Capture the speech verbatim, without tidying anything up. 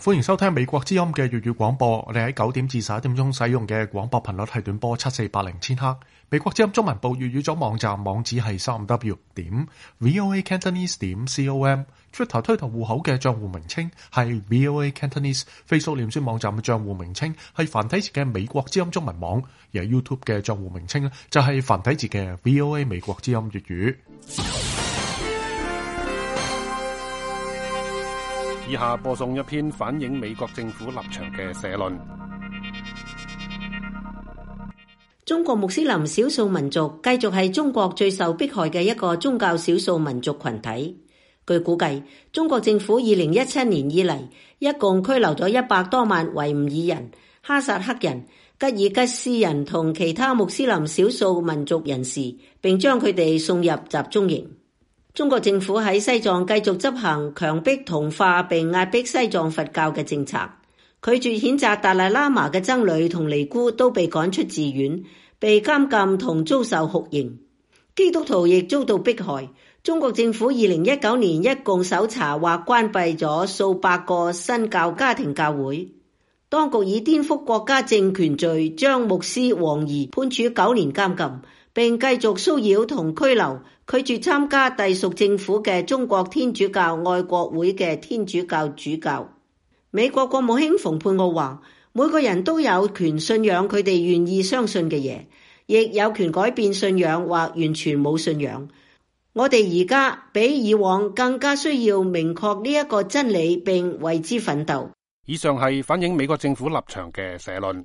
歡迎收聽美國之音嘅粵語廣播。我哋喺九點至十一點鐘使用嘅廣播頻率係短波七四八零千赫。美國之音中文部粵語組網站網址係三 w 點 voa cantonese 點 com。Twitter 推特戶口嘅賬戶名稱係 voa cantonese。Facebook 臉書網站嘅賬戶名稱係繁體字嘅美國之音中文網。而 YouTube 嘅賬戶名稱咧就係繁體字嘅 voa 美國之音粵語。以下播送一篇反映美國政府立場嘅社論。中國穆斯林少數民族繼續係中國最受迫害嘅一個宗教少數民族群體。據估計，中國政府二零一七年以嚟，一共拘留咗一百多萬維吾爾人、哈薩克人、吉爾吉斯人同其他穆斯林少數民族人士，並將佢哋送入集中營。中國政府喺西藏繼續執行強迫同化並壓迫西藏佛教嘅政策，拒絕譴責達賴喇嘛嘅僧侶同尼姑都被趕出寺院，被監禁同遭受酷刑。基督徒亦遭到迫害。中國政府二零一九年一共搜查或關閉咗數百個新教家庭教會。當局以顛覆國家政權罪將牧師王怡判處九年監禁，並繼續騷擾同拘留拒絕參加隸屬政府嘅中國天主教愛國會嘅天主教主教。美國國務卿蓬佩奧話，每個人都有權信仰佢哋願意相信嘅嘢，亦有權改變信仰或完全冇信仰。我哋而家比以往更加需要明確呢一個真理並為之奮鬥。以上係反映美國政府立場嘅社論。